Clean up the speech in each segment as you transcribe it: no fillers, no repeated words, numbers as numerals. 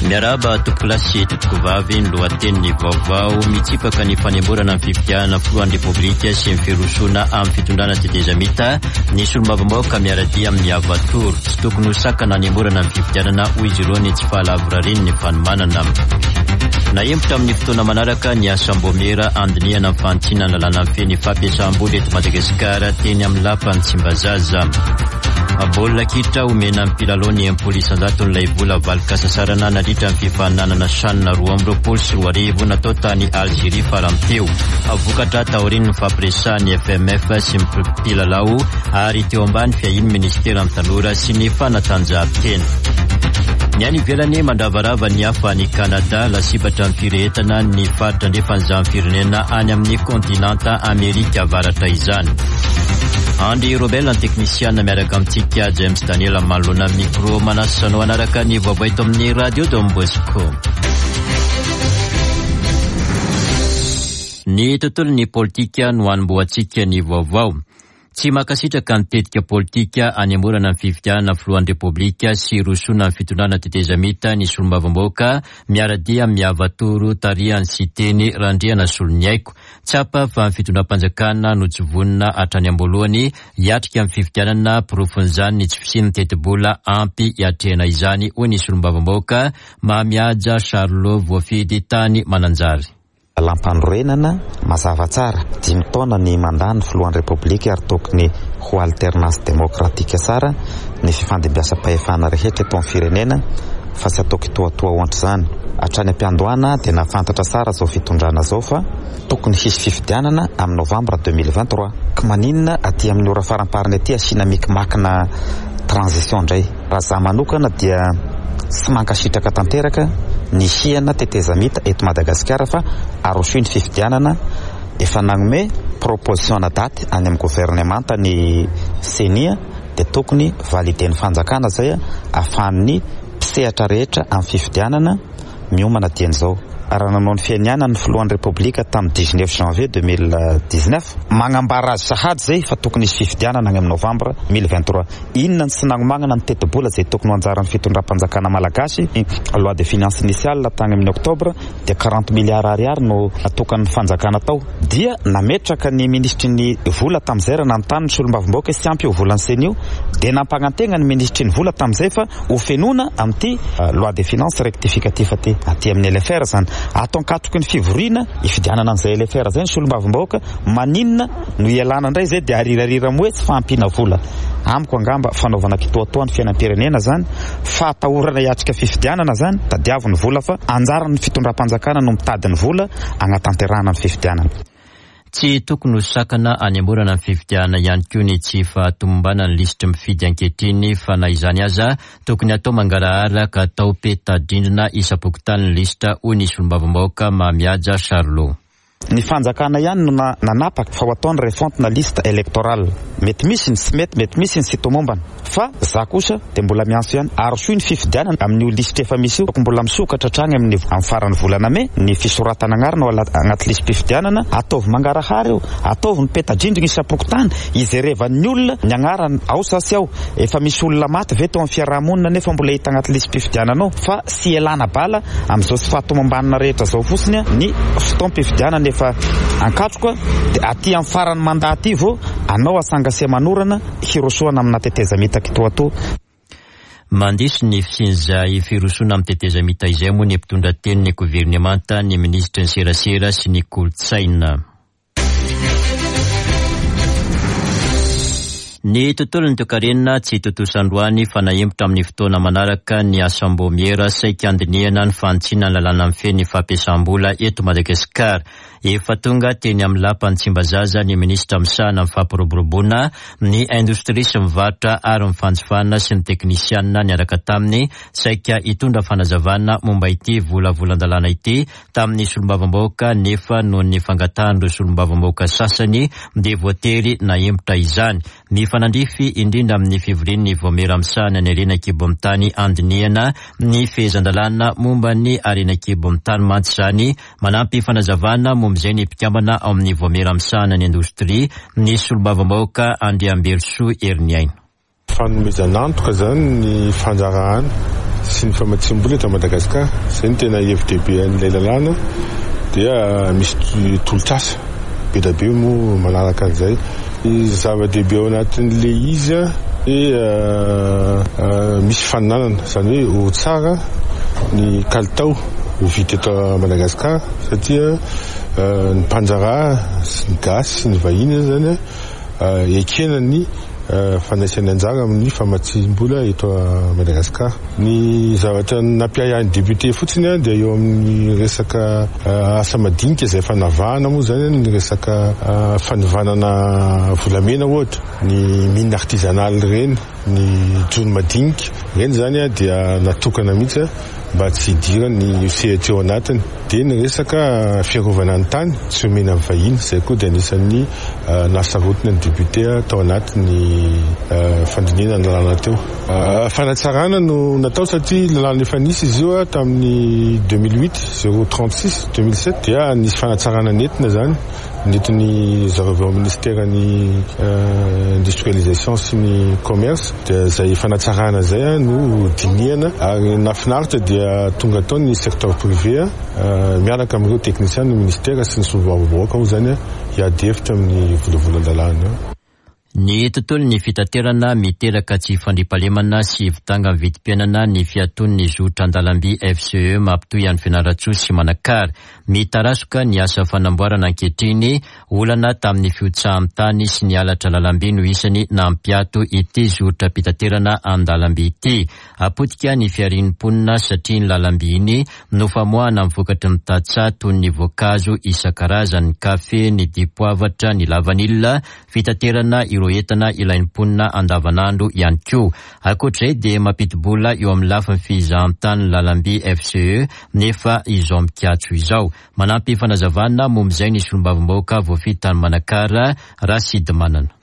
Miarahaba tompokolahy sy tompokovavy, ny lohatenin'ny vaovao mitsipaka ny fanemorana ny fifidianana filohan'ny Repoblika sy ny firosoana amin'ny fitondrana tetezamita ny solombavambahoaka miara-dia amin'ny Avatoro. Tsy tokony ho sakana hanemorana ny fifidianana hoy izy ireo ny tsy fahalavorarian'ny fanomanana. Nahemotra amin'ny fotoana manaraka ny asam-baomiera handinihana ny fanitsiana ny lalàna mifehy ny fampiasam-bola eto Madagasikara teny amin'ny lapan'i Tsimbazaza. Baolina kitra omena ny mpilalao ny 60 isan-jaton'ilay vola valin-kasasarana nandritra ny fifaninanana CHAN 2022 natao tany Algerie farany teo. Vokatra taorian'ny nifampiresahan'ny FMF sy ny mpilalao ary teo ambany fiahian'ny minisiteran'ny tanora sy ny fanatanjahantena. Ny any ivelany mandravarava ny hafa any Canada, lasibatra ny firehetana ny faritra andrefan'izany firenena any amin'ny kontinanta Amerika Avaratra izany. Andry Robel ny teknisiana miaraka amintsika James Daniel manoloana ny micro manasa anao hanaraka ny vaovao eto amin'ny Radio Don Bosco. Ny tontolon'ny politika no hanombohantsika ny vaovao. Tsy mankasitraka ny tetika politika hanemorana ny fifidianana filohan'ny Repoblika sy hirosoana ny fitondrana tetezamita ny solombavambahoaka miara-dia amin'ny Avatoro tarihan'i Siteny Randrianasoloniaiko. Tsapa fa ny fitondram-panjakana no tsy vonona hatrany am-boalohany hiatrika ny fifidianana, porofon'izany ny tsy fisian'ny tetibola ampy hiatrehana izany, hoy ny solombavambahoaka Mamihaja Charlot voafidy tany Mananjary. Lalàmpanorenana mazava tsara, dimy taona ny mandat ny filohan'ny Repoblika ary tokony ho alternance démocratique tsara ny fifandimbiasam-pahefana rehetra eto amin'ny firenena fa tsy atao kitoatoa ohatr'izany. Hatrany am-piandohana dia nahafantatra tsara izao fitondrana izao fa tokony hisy fifidianana amin'ny novambra 2023. Ka maninona aty amin'ny ora faramparany aty asiana mikimakina transition indray? Raha za manokana dia tsy mankasitraka tanteraka ny hisiana tetezamita eto Madagasikara fa arosoy ny fifidianana, efa nagnome proposition na daty any amin'ny governemanta ny ceni dia tokony valider-n'ny fanjakana zay ahafahan'ny mpisehatra rehetra amin'ny fifidianana miomana dieny izao. Raha nanao ny fianianany ny filohan'ny Repoblika tamin'ny dix-neuf janvier 2019, magnambara azy sahady zay fa tokony hisy fifidianana agny amin'ny novembre 2023. Inona ny tsy nagnomagnana ny tetibola zay tokony ho anjaran'ny fitondram-panjakana malagasy? Loi de finance initiale tagny amin'ny octobre dia quarante milliards ariary no natokan'ny fanjakana tao. Dia nametraka ny minisitry ny vola tamin'izay raha nanontany ny solombavambahoaka hoe tsy ampy io volan'ny ceni io dia nampagnantegna ny minisitry ny vola tamin'izay fa ho fenoina amin'ity loi de finance rectificatif ity, aty amin'ny LFR izany. Ato ankatoky ny fivoriana hifidianana an'izay LFR izay ny solombavambahoaka, maninona no hialana indray izay dia arirarira moa hoe tsy fahampiana vola. Amiko angamba fanaovana kitoatoa ny fiainam-pirenena izany, fahatahorana hiatrika fifidianana izany, tadiavo ny vola fa anjaran'ny fitondram-panjakana no mitady ny vola hagnatanterahana ny fifidianana. Tsy tokony ho sakana hanemorana ny fifidianana ihany koa ny tsy fahatomombanan'ny lisitry mifidy ankehitriny fa na izany aza tokony hatao mangarahara ka atao peta-drindrina isam-pokontany ny lisitra hoy ny solombavambahoaka Mamihaja Charlot. Ny fanjakana ihany no nanapaka fa ho atao ny refonte na liste électorale. Mety misy ny tsy mety, mety misy ny tsy tomombana. Fa za kosa dia mbola miantso ihany, arosoy ny fifidianana amin'io lisitra efa misy io, mbola misokatra hatrany amin'ny amin'ny faran'ny volana mey ny fisoratana agnarana ao anaty lisi-pifidianana, ataovy mangarahara io, ataovy ny peta-drindrina isam-pokontany, hijerevan'ny olona ny agnarany ao sa tsy ao, efa misy olona maty ve teo amin'ny fiaraha-monina nefa mbola hita agnaty lisi-pifidianana ao, fa tsy ialana bala amin'izao tsy fahatomombanana rehetra izao fotsiny ny fotoam-pifidianana efa ankatroka dia aty amin'ny faran'ny mandat aty vao anao asanga sy manorana hirosoana amina tetezamita kitoatoa. Mandiso ny fisian'izay firosoana amin'ny tetezamita izay moa ny mpitondra tenin'ny governemanta, ny minisitry ny serasera sy ny kolontsaina. Ny tontolon'ny toekarena tsy tontosa androany fa nahemotra amin'ny fotoana manaraka ny asam-baomiera saika handinihana ny fanitsiana ny lalàna mifehy ny fampiasam-bola eto Madagasikara. Efa tonga teny amin'ny lapan'i Tsimbazaza ny minisitra misahana ny fampiroboroboana ny indostria sy ny varotra ary ny fanjifana sy ny teknisianina niaraka taminy saika hitondra fanazavana momba ity volavolan-dalàna ity tamin'ny solombavambahoaka nefa noho ny fangatahan'ireo solombavambahoaka sasany dia voatery nahemotra izany. Mifanandrify indrindra amin'ny fivorian'ny Vaomiera misahana ny harena an-kibon'ny tany handinihana ny fehezan-dalàna momba ny harena an-kibon'ny tany mantsy izany. Manampy fanazavana momba izay ny mpikambana ao amin'ny Vaomiera misahana ny indostria, ny solombavambahoaka Andriambelosoa Heriniaina. Fanomezana antoka izany ny fandraharahana. sy ny famatsiam-bola eto Madagasikara. Izay no tena hevi-dehibe an'ilay lalàna dia misy tolotr'asa be dia be moa manaraka an'izay. Ny zava-dehibe ao anatin'ilay izy dia misy faninanana, izany hoe ho tsara ny kalitao ho vita eto Madagasikara satria ny mpandraharaha sy ny gasy sy ny vahiny izany ekena ny fandraisany anjara amin'ny famatsiam-bola eto Madagasikara. Ny zavatra nampiahiahy ny député fotsiny dia eo amin'ny resaka asa madinika izay efa navahana moa izany ny resaka fanovanana volamena ohatra, ny mine artisanale ireny, ny jono madinika ireny izany dia natokana mihitsy mba tsy hidiran'ny sehatra eo anatiny. Dia ny resaka fiarovana ny tany tsy omena ny vahiny, izay koa dia anisan'ny nahasarotina ny député tao anatin'ny fandinihana ny lalàna teo. Fanatsarana no natao satria lalàna efa nisy izy io tamin'ny 2008, 036, 2007 dia nisy fanatsarana nentina izany. Nentin'ny zareo avy ao amin'ny minisiteran'ny industrialisation sy ny commerce dia izay fanatsarana izay no dinihana ary nahafinaritra dia tonga tao ny secteur privé miaraka amin'ireo teknisian'ny ministera sy ny solombavambahoaka moa izany hiady hevitra amin'ny volavolan-dalàna io. Ny tontolon'ny fitaterana, Miteraka tsy fandriampahalemana sy fidangan'ny vidim-piainana ny fiatoan'ny zotra an-dalamby FCE mampitohy an'i Fianarantsoa sy Manakara. Mitarazoka ny asa fanamboarana ankehitriny, olana tamin'ny fihotsahan'ny tany sy ny halatra lalamby no isany nampiato ity zotram-pitaterana an-dalamby ity. Potika ny fiharian'ny mponina satria iny lalamby iny no famoahana ny vokatry ny tantsaha toy ny voankazo isan-karazany, ny kafe, ny dipoavatra, ny lavanila, fitaterana ireo entana ilain'ny mponina andavanandro ihany koa. Ankoatra izay dia mampidi-bola eo amin'ny lafiny fizahantany ny lalamby FCE nefa izao mikatso izao. Manampy fanazavana momba izay ny solombavambahoaka voafidy tany Manakara, Rasidimanana.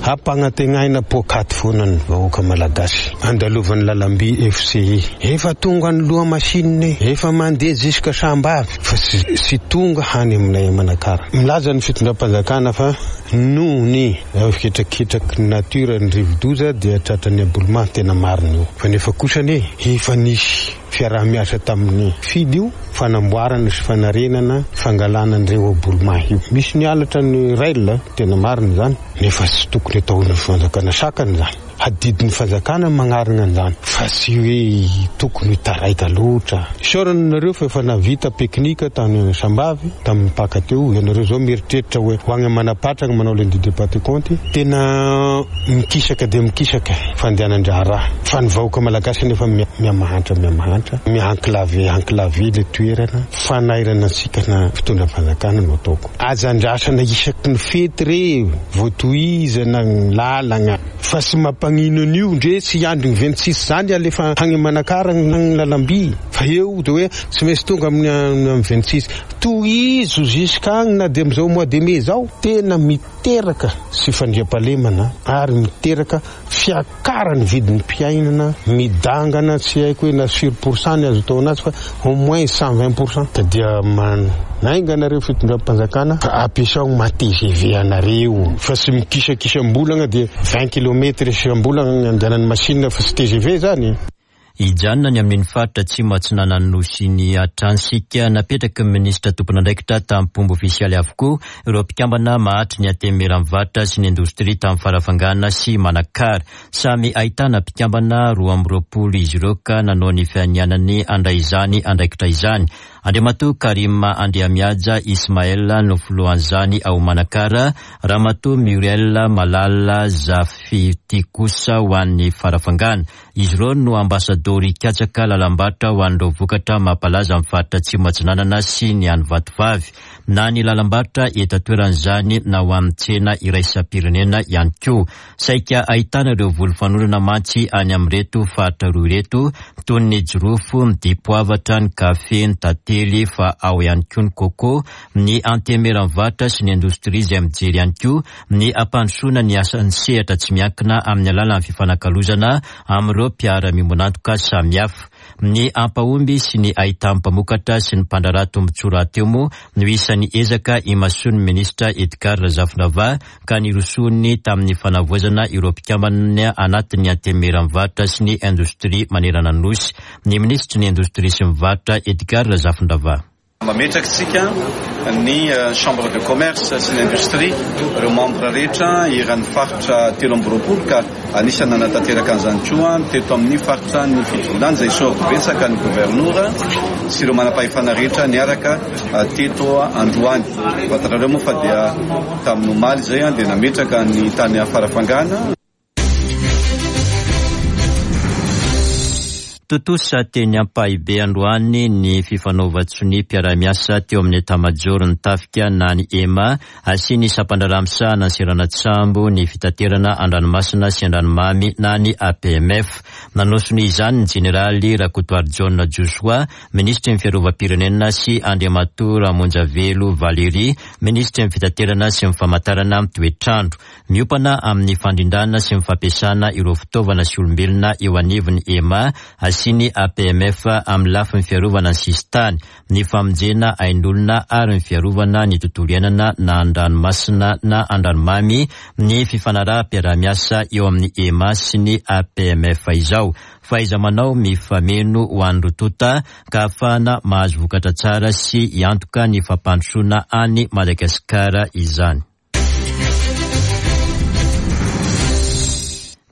Hampanantenaina poakaty foana ny vahoaka Malagasy andalovan'ny lalamby FCI. Efa tonga any Lohamachine, efa mandeha jusqu'à Sambavy fa tsy tonga any aminay Manakara. Milaza ny fitondram-panjakana fa noho ny hetraketraky ny nature ny rivodoza dia tratran'ny aboulement, tena marina io. Fa nefa kosa anie efa nisy fiaraha-miasa tamin'ny fidy io fanamboarana sy fanarenana fangalana an'ireo aboulement io. Misy ny halatra ny rail, tena marina izany, nefa tsy tokony ataon'ny fanjakana sakana izany. Adidin'ny fanjakana ny magnarina an'izany fa tsy hoe tokony ho taraika loatra. Isaorana anareo fa efa nahavita pique-nique tany Sambavy tamin'ny Paka teo. Ianareo izao mieritreritra hoe ho agny Manapatrana manao lundi de Pentecôte. Tena mikisaka dia mikisaka fandehanan-draharaha fa ny vahoaka malagasy anefa mihamahantra mihamahantra, miha-enclavé enclavé le toerana. Fanairana antsika na fitondram-panjakana no ataoko. Aza andrasana isaky ny fety re vao tohizana ny lalagna fa tsy mampagnino an'io ndre tsy hiandry ny 26 zany alefa agny Manakara ny lalamby fa eo de hoe tsy maintsy tonga amin'ny 26 tohizo jusqu'agny na de amizao mois de mai zao tena miteraka tsy fandriampahalemana ary miteraka fiakaran'ny vidim-piainana midangana tsy haiko hoe na sur pour cent ny azo atao anazy fa au moins 120% ka dia manainga anareo fitondram-panjakana fa ampiasao ny maha TGV anareo fa tsy mikisakisam-bolagna dia 20 kilomètres isam-bolagna ny andehanan'ny machine fa tsy TGV zany. Hijanona any amin'iny faritra atsimo atsinanan'ny Nosy iny hatrany isika. Napetraky ny minisitra tompon'andraikitra tamim-pomba ofisialy avokoa ireo mpikambana mahatry ny Antenimieran'ny Varotra sy ny Indostria tamin'ny Farafangana sy Manakara. Samy ahitana mpikambana 22 izy ireo ka nanao ny fianianany handray izany andraikitra izany. Andriamatoa Karim Andriamihaja Ismaël no filohan'izany ao Manakara, Ramatoa Muriel Malala Zafity kosa ho an'ny Farafangana. Izy ireo no ambasadaoro hikatsaka lalam-barotra ho an'ireo vokatra mampalaza ny faritra Atsimo Atsinanana sy ny any Vatovavy. Na ny lalam-barotra eto an-toerana izany na ho amin'ny tsena iraisam-pirenena ihany koa. Saika ahitana ireo voly fanorana mantsy any amin'ireto faritra roa ireto toy ny jirofo, ny dipoavatra, ny kafe, ny tantely fa ao ihany koa ny coco, ny antenimieran'ny varotra sy ny indostria izay mijery ihany koa ny hampandrosoana ny asan'ny sehatra tsy miankina amin'ny alalan'ny fifanakalozana amin'ireo mpiara-miombon'antoka samihafa. Ny hampahomby sy ny hahitan'ny mpamokatra sy ny mpandraharaha tombontsoa rahateo moa no isan'ny ezaka imasoan'ny minisitra Edgard Razafindravahy ka nirosoany tamin'ny fanavaozana ireo mpikambana anatin'ny Antenimieran'ny varotra sy ny indostria manerana ny Nosy ny minisitry ny indostria sy ny varotra Edgard Razafindravahy. Mametraka isika ny Chambre de commerce sy ny industrie, ireo membre rehetra eran'ny faritra 23 ka anisan'ny nanatanteraka an'izany koa teto amin'ny faritra ny Fitovinany izay isaorako betsaka ny governora sy ireo manam-pahefana rehetra niaraka teto androany. Fantatrareo moa fa dia tamin'ny omaly izay dia nametraka ny tany Farafangana. Tontosa teny Ampahibe androany ny fifanaovan-tsoniam-piaraha-miasa teo amin'ny Etamajoron'ny Tafika na ny EMA sy ny sampandraharaha misahana ny seranan-tsambo, ny fitaterana an-dranomasina sy an-dranomamy na ny APMF. Nanao sonia izany ny Jeneraly Rakotoarijaona Josoa, Minisitry ny Fiarovam-pirenena sy Andriamatoa Ramonjavelo Valery, Minisitry ny Fitaterana sy ny Famantarana ny Toetr'andro. Miompana amin'ny fandrindrana sy ny fampiasana ireo fitaovana sy olombelona eo anivon'ny EMA sy ny APMF amin'ny lafiny fiarovana ny sisintany, ny famonjena ain'olona ary ny fiarovana ny tontolo iainana na an-dranomasina na an-dranomamy ny fifanaraham-piaraha-miasa eo amin'ny EMA sy ny APMF izao. Fahaiza-manao mifameno ho an'ny roa tonta ka ahafahana mahazo vokatra tsara sy hiantoka ny fampandrosoana an'i Madagasikara izany.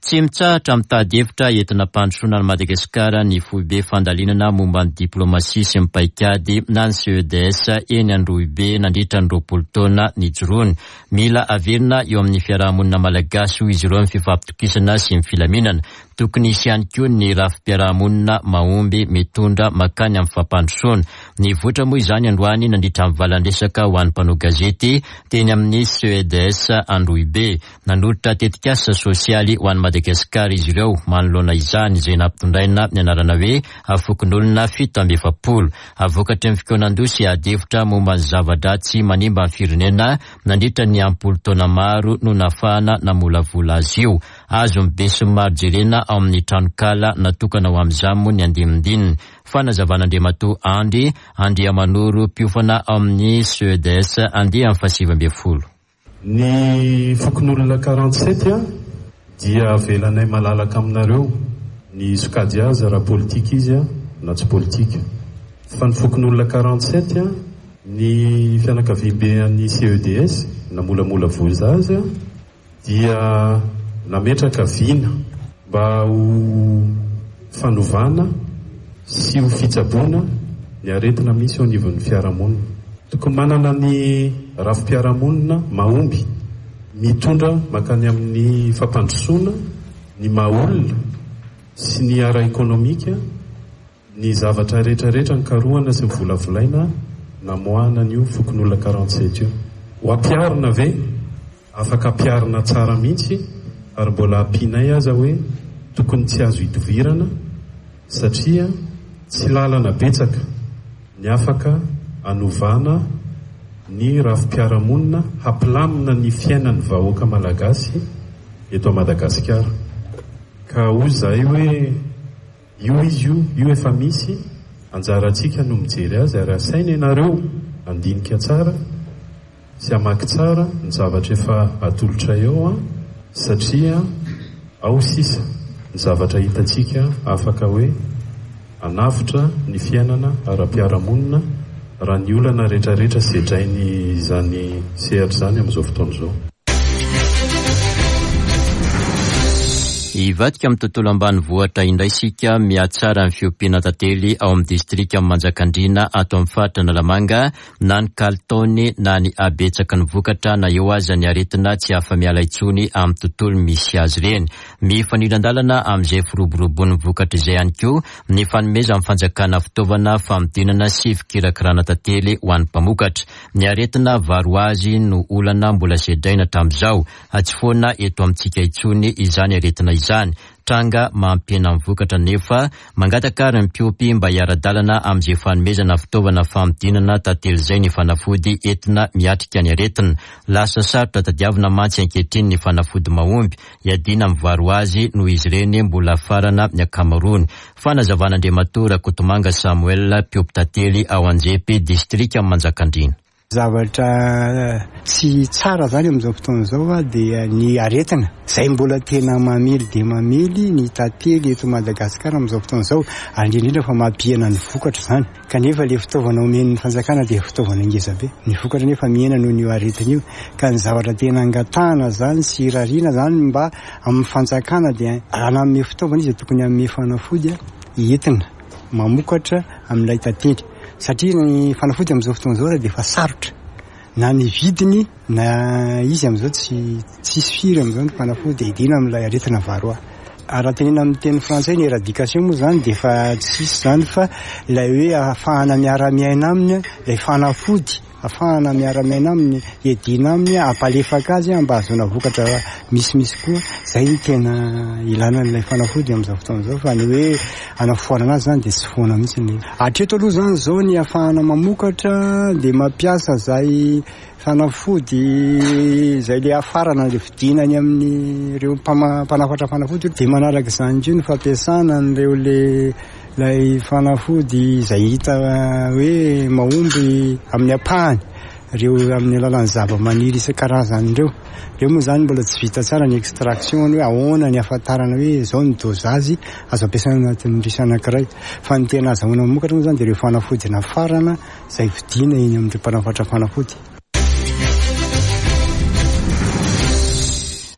Tsy mitsahatra mitady hevitra entina hampandrosoana an'i Madagasikara ny foibe fandalinana momba ny diplaomasia sy ny paikady na ny CEDS eny Androhibe nandritra ny 20 taona nijoroany. Mila averina eo amin'ny fiarahamonina malagasy hoy izy ireo ny fifampitokisana sy ny filaminana. Tokony hisy ihany koa ny rafi-piarahamonina mahomby mitondra mankany amin'ny fampandrosoana. Nivoitra moa izany androany nandritra ny valan-dresaka ho an'ny mpanao gazety teny amin'ny CEDS Androhibe. Nanolotra tetikasa sosialy ho an'i Madagasikara izy ireo manoloana izany, izay nampitondraina ny anarana hoe Fokonolona 47. Vokatry ny fikaonandoha sy ady hevitra momba ny zava-dratsy manimba ny firenena nandritra ny am-polo taona maro no nahafahana namolavola azy io. Azon'ny besinimaro jerena ao amin'ny tranonkala natokana ho amin'izany moa ny andinindininy. Fanazavan'Andriamatoa Andry Andriamanoro, mpiofana ao amin'ny CEDS andiany faha-19. Ny fokonolona 47 dia avelanay malalaka aminareo ny sokajy azy raha politika izy na tsy politika. Fa ny fokonolona 47, ny fianakaviambe an'ny CEDS namolamola voza azy, dia nametraka vina mba ho fanovana sy ho fitsaboana ny aretina misy eo anivon'ny fiarahamonina. Tokony manana ny rafi-piarahamonina mahomby mitondra mankany amin'ny fampandrosoana ny maha olona sy ny ara-ekonomika Ny zavatra rehetra rehetra nikarohana sy novolavolaina namoahana an'io fokonolona 47 io. Ho ampiharina ve? Afaka ampiharina tsara mihitsy ary mbola ampianay aza hoe tokony tsy azo idovirana satria tsy lalana betsaka ny afaka anovana ny rafi-piarahamonina hampilamina ny fiainan'ny vahoaka malagasy eto Madagasikara. Ka hoy izahay hoe. Io izy io, io efa misy, anjarantsika no mijery azy ary asaina ianareo handinika tsara sy hamaky tsara ny zavatra efa atolotray eo an, satria ao sisa ny zavatra hitantsika afaka hoe hanavotra ny fiainana ara-piarahamonina raha ny olana retraretra sedrain'izany sehatra izany amin'izao fotoana izao. Hivadika amin'ny tontolo ambanivohitra indray isika, mihatsara ny fiompiana tantely ao amin'ny distrikan'i Manjakandriana ato amin'ny faritra Analamanga, na ny kalitaony na ny habetsaky ny vokatra na eo aza ny aretina tsy afa-miala intsony amin'ny tontolo misy azy ireny. Mifanindran-dalana amin'izay firoborobon'ny vokatra izay ihany koa ny fanomezan'ny fanjakana fitaovana fanodinana sy fikirakirana tantely ho an'ny mpamokatra. Ny aretina varoazy no olana mbola sedraina hatramin'izao. Tsy foana eto amintsika intsony izany aretina izany. tranga mampihena ny vokatra nefa mangataka ary ny mpiompy mba hiara-dalana amin'izay fanomezana fitaovana fanodinana tantely izay ny fanafody entina miatrika ny aretina. Lasa sarotra tadiavina mantsy ankehitriny ny fanafody mahomby hiadiana amin'ny varroase noho izy ireny mbola afarana ny ankamaroany. Fanazavan'Andriamatoa Rakotomanga Samuel, mpiompy tantely ao Anjepy, distrikan'i Manjakandriana. Zavatra tsy tsara zany amin'izao fotoana izao dia ny aretina izay mbola tena mamely dia mamely ny tantely eto Madagasikara amin'izao fotoana izao ary indrindra indrindra fa mampihena ny vokatra izany kanefa ilay fitaovana omen'ny fanjakana dia fitaovana ngeza be ny vokatra nefa mihena noho io aretina io ka ny zavatra tena angatahana zany sy irariana zany mba amin'ny fanjakana dia raha nanome fitaovana izy dia tokony hanome fanafody entina mamokatra amin'ilay tantely satria ny fanafody amin'izao fotoana izao dia efa sarotra na ny vidiny na izy amin'izao tsy tsisy firy amin'izao ny fanafody hiadiana amin'ilay aretina varroa. Raha tenena amin'ny teny frantsay ny éradication moa izany dia efa tsisy izany fa ilay hoe ahafahana miara-miaina aminy ilay fanafody Afahana miara-miaina aminy, hiadiana aminy, hampalefaka azy mba hahazoana vokatra misimisy koa. Izay no tena ilana an'ilay fanafody amin'izao fotoana izao fa ny hoe hanafoanana azy izany dia tsy foana mihitsy ny. Hatreto aloha izany izao ny ahafahana mamokatra dia mampiasa izay fanafody izay ilay hafarana ilay vidiana any amin'ireo mpanafatra fanafody dia manaraka izany koa ny fampiasana an'ireo ilay Ilay fanafody izay hita hoe mahomby amin'ny ampahany, ireo amin'ny alalan'ny zavamaniry isan-karazany ireo. Ireo moa izany mbola tsy vita tsara ny extraction hoe ahoana ny ahafantarana hoe izao ny dosage azo ampiasaina anatin'ny risy anankiray. Fa ny tena azahoana mamokatra moa izany dia ireo fanafody nafarana izay vidiana eny amin'ireo mpanafatra fanafody.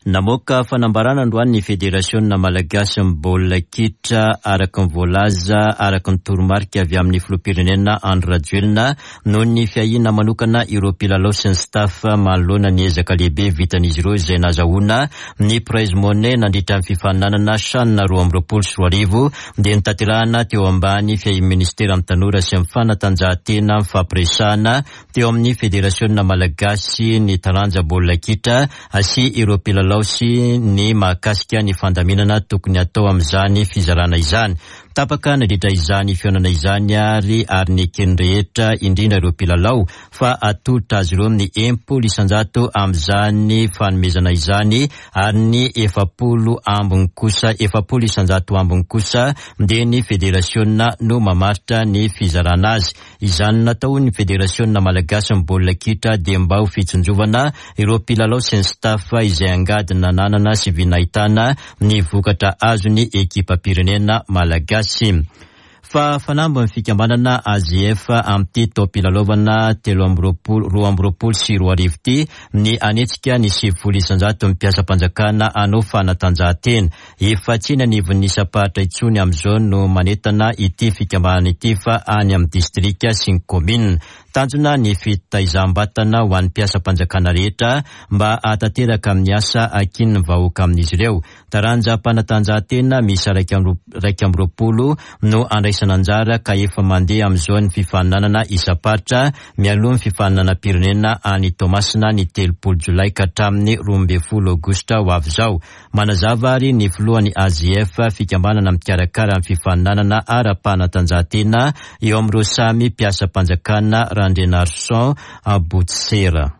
Namoaka fanambarana androany ny Federasiona malagasin'ny baolina kitra araka ny voalaza araka ny toromarika avy amin'ny filoham-pirenena Andry Rajoelina noho ny fiahiana manokana ireo mpilalao sy ny staff manoloana ny ezaka lehibe vitan'izy ireo izay nazahoana ny prize money nandritra ny fifaninanana CHAN 2022 dia notanterahana teo ambany fiahian'ny ministeran'ny tanora sy ny fanatanjahantena mifampiresahana teo amin'ny Federasiona malagasy ny taranja baolina kitra sy ireo mpilalao sy ny mahakasika ny fandaminana tokony hatao amin'izany fizarana izany. Tapaka nandritra izany fihaonana izany ary ary neken'ny rehetra, indrindra ireo mpilalao, fa atolotra azy ireo ny 60% amin'izany fanomezana izany ary ny 40 ambiny kosa, 40% ambiny kosa dia ny federasiona no mamaritra ny fizarana azy. Izany nataon'ny Federasiona malagasin'ny baolina kitra dia mba ho fitsinjovana ireo mpilalao sy ny staff izay angady nananana sy vy nahitana ny vokatra azon'ny ekipam-pirenena malagasy. Fa fanamby ny fikambanana AJF amin'ity taom-pilalaovana 23 2022 ity ny hanetsika ny 90% mpiasam-panjakana hanao fanatanjahantena. Efa tsy eny anivon'ny isam-paritra intsony amin'izao no manentana ity fikambanana ity fa any amin'ny distrika sy ny kaominina. Tanjona ny fitaizam-batana ho an'ny mpiasam-panjakana rehetra mba hahatanteraka amin'ny asa ankinin'ny vahoaka amin'izy ireo. Taranjam-panatanjahantena miisa 21 no andraisana anjara ka efa mandeha amin'izao ny fifaninanana isam-paritra mialoha ny fifaninanam-pirenena any Toamasina ny 30 jolay ka hatramin'ny 12 aogositra ho avy izao. Manazava ary ny filohan'ny AJF, fikambanana mikarakara ny fifaninanana ara-panatanjahantena eo amin'ireo samy mpiasam-panjakana Randrianarison Botsera.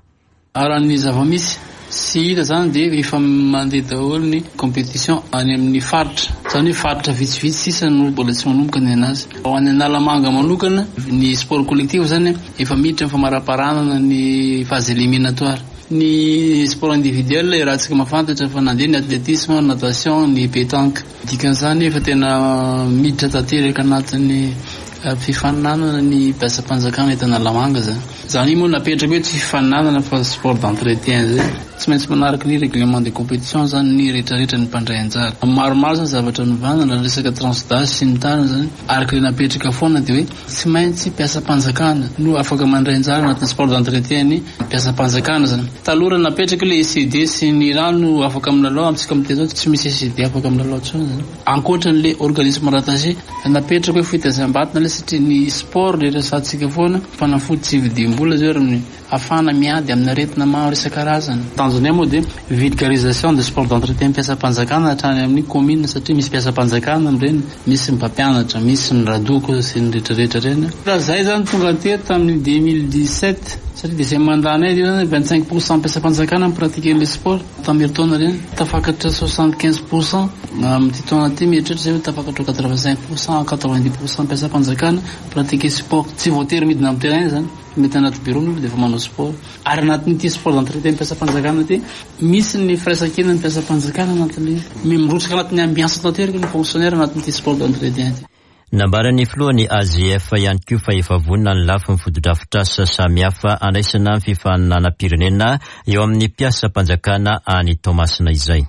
Raha ny zava-misy sy hita izany dia efa mandeha daholo ny competition any amin'ny faritra. Izany hoe faritra vitsivitsy sisa no mbola tsy manomboka ny anazy. Ho an'ny Analamanga manokana, ny sport collectif izany efa miditra amin'ny famaraparanana ny phase éliminatoire. Ny sport individuel iarahantsika mahafantatra fa nandeha ny athlétisme, natation, ny pétanque. Dikan'izany efa tena miditra tanteraka anatin'ny fifaninanana ny mpiasam-panjakana eto Analamanga izany. Izany moa napetraka hoe tsy fifaninanana fa sport d'entretien izay. Tsy maintsy manaraka ny règlement de compétition izany ny rehetrarehetra ny mpandray anjara. Maromaro izany zavatra novana na resaka tranche d'âge sy ny tariny izany. Araka ilay napetraka foana dia hoe tsy maintsy mpiasam-panjakana no afaka mandray anjara anatin'ny sport d'entretien ny mpiasam-panjakana zany. Taloha raha napetraka ilay ECD sy ny rano afaka milalao, amintsika miteny zao tsy misy ECD afaka milalao intsony zany. Ankoatra an'ilay organisme rattaché, napetraka hoe fitaizam-batana ilay satria ny sport le resahantsika foana, fanafody tsy vidiam-bola zao ary amin'ny. Ahafahana miady amin'ny aretina maro isan-karazany. Tanjonay moa dia vulgarisation de sport d'entretien mpiasam-panjakana hatrany amin'ny commune satria misy mpiasam-panjakana amin'ireny, misy ny mpampianatra, misy ny radoko sy ny rehetrarehetra ireny. Raha izahay izany tonga teto tamin'ny 2017 satria deuxième mandat-nay io izany, 25 pour cent mpiasam-panjakana mi-pratiquer an'ilay sport tamin'ny herintaona ireny, tafakatra 75 pour cent amin'ity taona ity mieritreritra izay hoe tafakatra ho 85 pour cent, 90 pour cent mpiasam-panjakana mi-pratiquer sport. Tsy voatery midina amin'ny terrain izany. Mety anaty bureau ny olona dia efa manao sport. Ary anatin'ity sport d'entretien mpiasam-panjakana ity, misy ny firaisankinan'ny mpiasam-panjakana anatin'ilay izy. Mirotsaka anatin'ny ambiance tanteraka ny fonctionnaire anatin'ity sport d'entretien ity. Nambaran'ny filohan'ny AGF ihany koa fa efa vonona ny lafiny fotodrafitrasa samihafa handraisana ny fifaninanam-pirenena eo amin'ny mpiasam-panjakana any Toamasina izay.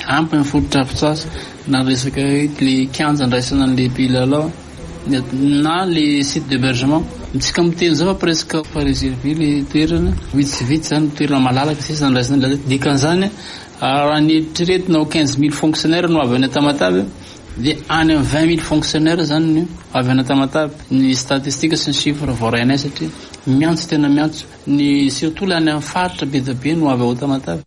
Ampy ny fotodrafitrasa na resaka hoe le kianja andraisana an'le mpilalao na le site d'hebergement. Tsika miteny zao fa presque efa reservé le toerana, vitsivitsy zany toerana malalaka sisa andraisana ny mpilalao. Dikan'izany raha ny eritreretina ho 15 000 fonctionnaires no avy any Tamatave dia any amin'ny 20 000 fonctionnaires zany no avy any Tamatave. Ny statistique sy ny chiffre voarainay satria miantso tena miantso ny surtout le any amin'ny faritra be dia be no avy ao Tamatave.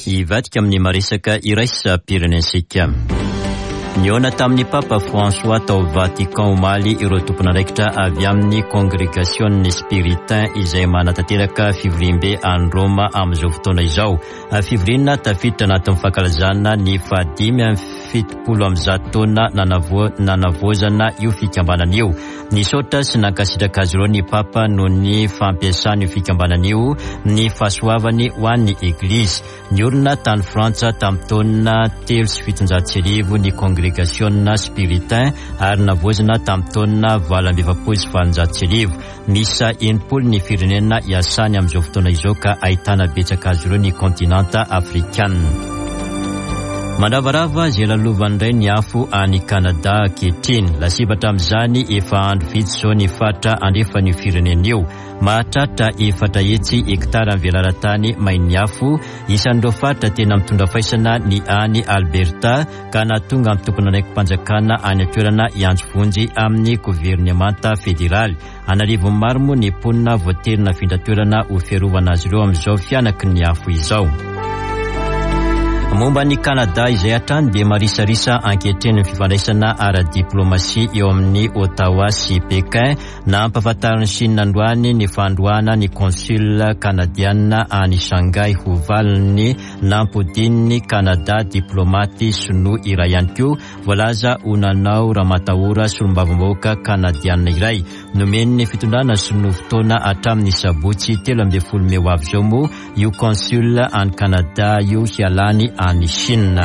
Hivadika amin'ny maresaka iraisam-pirenentsika. Nihaona tamin'ny Papa François tao Vatican omaly ireo tompon'andraikitra avy amin'ny Kongregasion'ny Spiritain izay manatanteraka fivoriambe any Roma amin'izao fotoana izao. Fivoriana tafiditra anatin'ny fankalazana ny fahadimy amby 170 taona nanavaozana io fikambanana io. Nisaotra sy nankasitraka azy ireo ny Papa noho ny fampiasan'io fikambanana io ny fahasoavany ho an'ny Eglizy. Niorina tany Frantsa tamin'ny taona 1703 ny Kongregasiona Spiritain ary navaozina tamin'ny taona 1848. Miisa 60 ny firenena iasany amin'izao fotoana izao ka ahitana betsaka azy ireo ny kontinanta afrikanina. Mandravarava izay lalovan'ny indray ny afo any Kanada ankehitriny. Lasibatra amin'izany efa andro vitsy izao ny faritra andrefan'io firenena io. Mahatratra 400 hektara ny velaran-tany main'ny afo. Isan'ireo faritra tena mitondra faisana ny any Alberta ka nahatonga ny tompon'andraiki-panjakana any an-toerana hiantso vonjy amin'ny governemanta federaly. An'arivony maro moa ny mponina voatery nafindra toerana ho fiarovana azy ireo amin'izao fihanaky ny afo izao. Momba an'i Kanada izay hatrany dia marisarisa ankehitriny ny fifandraisana ara-diplaomasia eo amin'i Ottawa sy Pékin. Nampahafantarin'i Chine androany ny fandroahana ny consul kanadiana any Shanghai ho valin'ny nampodian'i Kanada diplaomaty sinoa iray ihany koa Voalaza ho nanao ramatahora solombavambahoaka kanadianina iray. Nomen'ny fitondrana sinoa fotoana hatramin'ny sabotsy 13 mey ho avy izao moa io consul any Canada io hialany any Chine.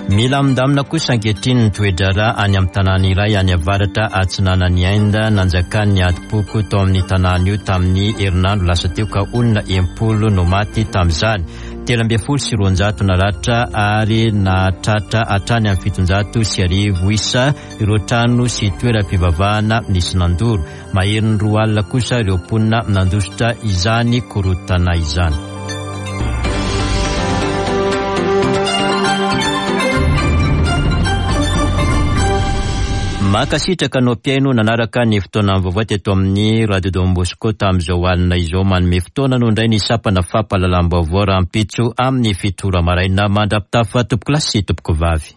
Milamindamina kosa ankehitriny ny toe-draharaha any amin'ny tanàna iray any avaratra atsinanan'i Inde. Nanjakan'ny adim-poko tao amin'ny tanàna io tamin'ny herinandro lasa teo ka olona 60 no maty tamin'izany. 213 naratra ary nahatratra hatrany amin'ny 1100 isa ireo trano sy toeram-pivavahana nisy nandoro. Maherin'ny 20 kosa ireo mponina nandositra izany korontana izany. Mankasitraka anao mpihaino nanaraka ny fotoana vaovao teto amin'ny Radio Don Bosco tamin'izao alina izao. Manome fotoana anao indray ny sampana fampahalalam-baovao rahampitso amin'ny 7 ora maraina. Mandra-pitafa tompokolahy sy tompokovavy.